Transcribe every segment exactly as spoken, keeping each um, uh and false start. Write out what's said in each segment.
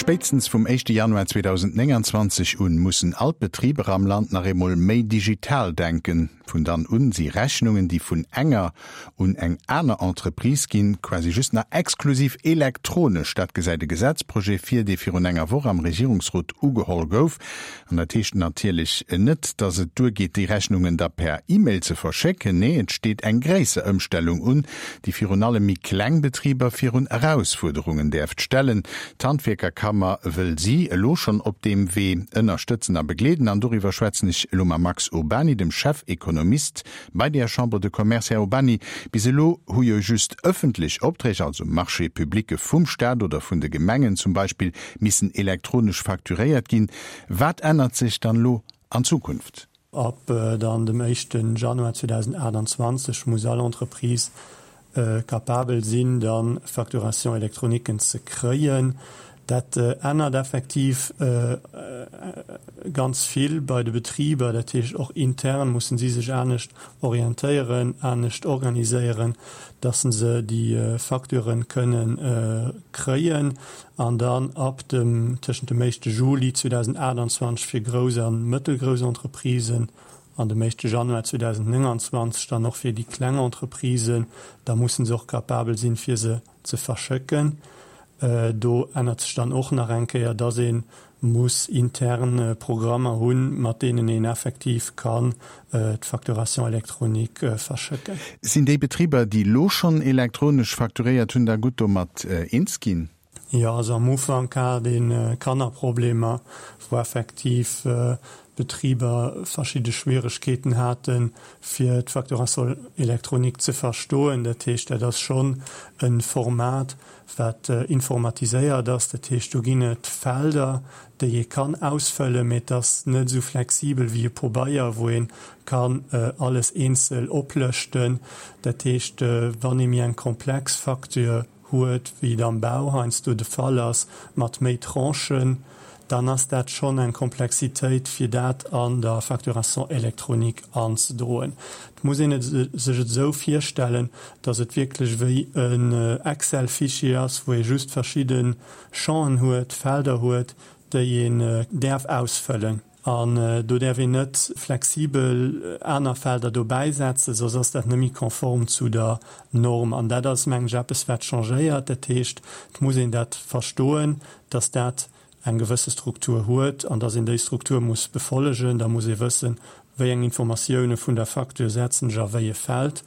Spéitstens vum éischte Januar zweedausendnénganzwanzeg un mussen all d'Betriber am Land nach eemol méi digital denken. Vun dann un si Rechnungen, déi vun enger un eng aner Entreprise ginn, quasi just nach exklusiv elektronesch. Dat gesäit de Gesetzprojet vir, dee virun enger Woch am Regierungsrot ugeholl gouf. An dat heescht natierlech net, dass et duergeet, déi Rechnungen da per E-Mail ze verschécken. Nee, et steet eng gréisser Ëmstellung un, déi virun allem méi kleng Betriber virun Erausfuerderungen däerft stellen. D'Handwierkerkammer wëll si elo schonn op deem Wee ënnerstëtzen a begleeden. An doriwwer schwätzen ech elo mam Max Urbany, dem Chefekonomist bei der Chambre de Commerce. Här Urbany, bis elo hu jo just ëffentlech Opträg, also Marchés publics vum Staat oder vun de Gemengen zum Beispill, missen elektronesch facturéiert ginn. Wat ännert sech dann elo an Zukunft? Ab dann dem éischten Januar zweedausendachtanzwanzeg muss all Entreprise capabel sinn, dann Facturation électroniquen ze kréien. Dat ännert effektiv ganz vill bei de Betriber. Dat heescht, och intern mussen si sech anescht orientéieren, anescht organiséieren, dass se déi Facturen kënnen kréien. An dann ab dem, tëschent dem éischte Juli zweedausendachtanzwanzeg fir grouss a mëttelgrouss Entreprisen an dem éischte Januar zweedausendnénganzwanzeg dann och fir déi kleng Entreprisen, da mussen se och capabel sinn, fir se ze verschëcken. Do ännert sech dann och nach eng Kéier, dass ee muss intern Programmer hunn, mat deenen een effektiv kann d'Facturation électronique verschëcken. Sinn déi Betriber, déi elo schonn elektronesch facturéiert hunn, da gutt domat eens ginn? Jo, also am Ufank hat ee Kannerproblemer, wou effektiv Betriber verschidde Schwieregkeeten haten, fir d'Facturation électronique ze verstoen. Dat heescht, dat ass schonn e Format, wat informatiséiert ass. Dat heescht, do ginn et Felder, déi ee kann ausfëllen, mee et ass net esou flexibel wéi e Pobeier, wou ee kann alles eenzel oplëschten. Dat heescht, wann ee méi eng komplex Facture huet, wéi et am Bau heiansdo de Fall ass, mat méi Tranchen, dann ass dat schonn eng Komplexitéit, fir dat an der Facturation électronique anzedroen. Et muss een sech et esou virstellen, dass et wierklech wéi en Excel-Fichier ass, wou ee just verschidde Champen huet, Felder huet, déi een däerf ausfëllen. An do däerf een net flexibel aner Felder dobäisetzen, soss ass dat net méi konform zu der Norm. An dat ass, mengen ech, eppes, wat changéiert. Dat heescht, et muss een dat verstoen, dass dat eng gewësse Struktur huet an dass een déi Struktur muss befollegen. Da muss ee wëssen, wéi eng Informatioune vun der Facture setzen ech a wéi e Feld.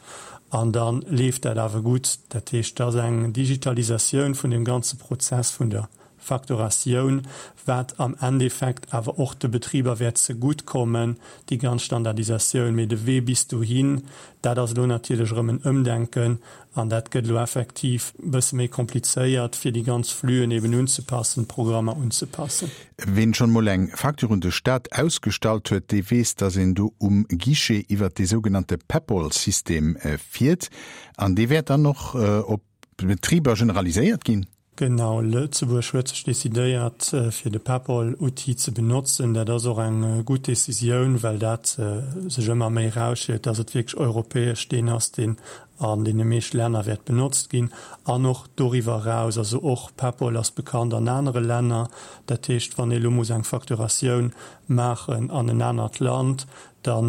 An da leeft dat awer gutt. Dat heescht, et ass eng Digitalisatioun vun deem ganze Prozess vun der Facturatioun, wat am Endeffekt awer och de Betriber wäert zegutt kommen, déi ganz Standardisatioun. Mee de Wee bis dohin, dat ass elo natierlech erëm en Ëmdenken an dat gëtt elo effektiv e bësse méi komplizéiert, fir déi ganz Flüen eben unzepassen, d'Programmer unzepassen. Ween schonn mol eng Facture un de Staat ausgestallt huet, dee weess, dass een do um Guichet iwwert dee sougenannte Peppol-System fiert. An dee wäert dann och op d'Betriber generaliséiert ginn? Genau, Lëtzebuerg huet sech decidéiert, fir de Peppol-Outil ze benotzen. Dat ass och eng gutt Decisioun, well dat sech ëmmer méi erausschielt, dass et wierklech europäesch deen ass, deen an deene meescht Länner wäert benotzt ginn. An och doriwwer eraus, also och Peppol ass bekannt an anere Länner. Dat heescht, wann ee elo muss eng Facturatioun maachen an en anert Land, da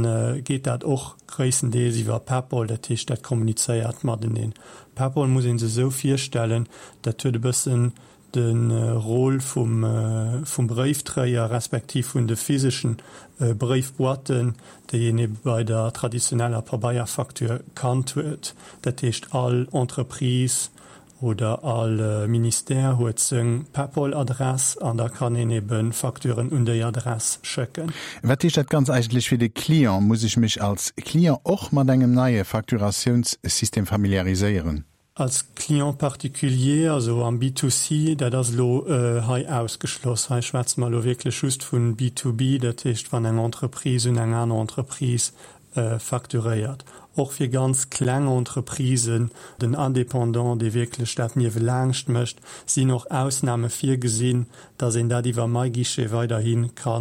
geet dat och gréisstendeels iwwer Peppol, dat heescht dat kommunizéiert mateneen. Peppol muss ee sech esou virstellen, dat huet e bëssen de Rôle vum vum Bréifdréier respektiv vun de physeschen Bréifboîten, déi een ebe bei der traditioneller Pabeierfacture kannt huet. Dat heescht all Entreprise oder all Ministère huet seng Peppol-Adress an da kann een ebe Facturen un déi Adress schëcken. Wat heescht dat Ganzt eigentlech fir de Client? Muss ech mech als Client och mat engem neie Facturatiounssystem familiariséieren? Als Client particulier, also am B to C, dat ass elo hei ausgeschloss. Hei schwätze mer elo wierklech just vu B to B, dat heescht wann eng Entreprise un eng aner Entreprise facturéiert. Och fir ganz kleng Entreprisen, den Indépendant, dee wierklech dat niewelaangscht mécht, sinn och Ausname virgesinn, dass een dat iwwer MyGuichet weiderhi ka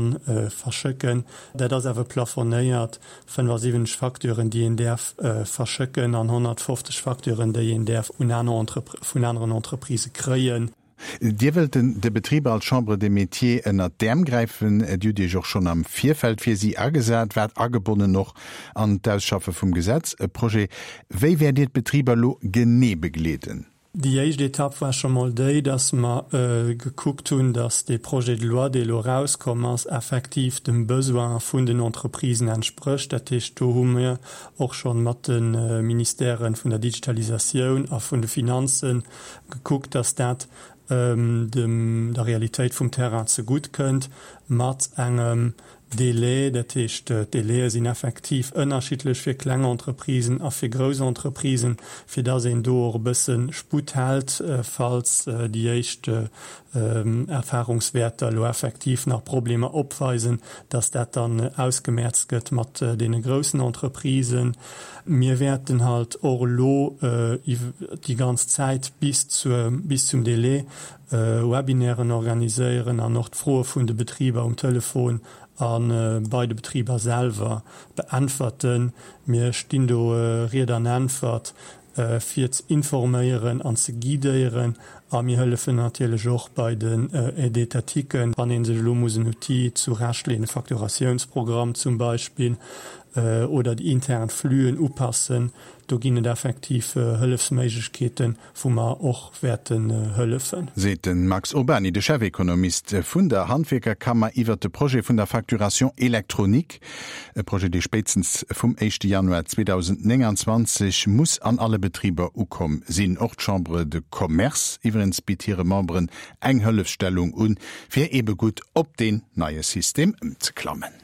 verschëcken. Dat ass awer plafonéiert, fënnefasiwwenzeg Facturen, déi een däerf verschëcken an honnertfofzeg Facturen, déi een däerf un aner, vun aneren Entreprisë kréien. Dir wëllt den de Betriber als Chambre des Métiers ënnert d'Äerm gräifen. Dir hutt Iech och schonn am Virfeld fir si agesat, waart agebonnen och an d'Ausschaffe vum Gesetz, e Projet. Wéi wäert Dir d'Betriber elo genee begleeden? Déi éischt Etapp war scho mol déi, dass mer gekuckt hunn, dass dee Projet de loi, dee elo erauskomm ass, effektiv dem Besoin vun den Entreprisen entsprécht. Dat heescht, do hu mir och scho mat de Ministèren vun der Digitalisatioun a vun de Finanzen gekuckt, dass dat dem der Realitéit vum Terrain zegutt kënnt, mat engem Délai. Dat heescht, d'Délaie sinn effektiv ënnerschiddlech fir kleng Entreprisen a fir grouss Entreprisen, fir dass een do och e bësse Sputt hält, falls déi éischt Erfahrungswäerter elo effektiv nach Problemer opweisen, dass dat dann ausgemäerzt gëtt mat deene groussen Entreprisen. Mir wäerten halt och elo déi ganz Zäit bis zur, bis zum Délai Webinairen organiséieren an och d'Froe vun de Betriber um Telefon a bei de Betriber selwer beäntwerten. Mir stinn do Ried an Äntwert, fir ze informéieren an ze guidéieren. A mir hëllefen natierlech och bei den Aides étatiquen, wann ee sech elo muss en Outil zurechtleeën, e Facturatiounsprogramm zum Beispill, oder déi intern Flüen upassen. Do ginn et effektiv Hëllefsméiglechkeeten, wou mer och wäerten hëllefen. Seet de Max Urbany, de Chefekonomist vun der Handwierkerkammer iwwert de Projet vun der Facturation électronique. E Projet, dee spéitstens vum éischte Januar zweedausendnénganzwanzeg muss an alle Betriber ukomm sinn. Och d'Chambre de Commerce iwwerens bitt hire Memberen eng Hëllefsstellung un, fir eebe gutt op deen neie System ëmzeklammen.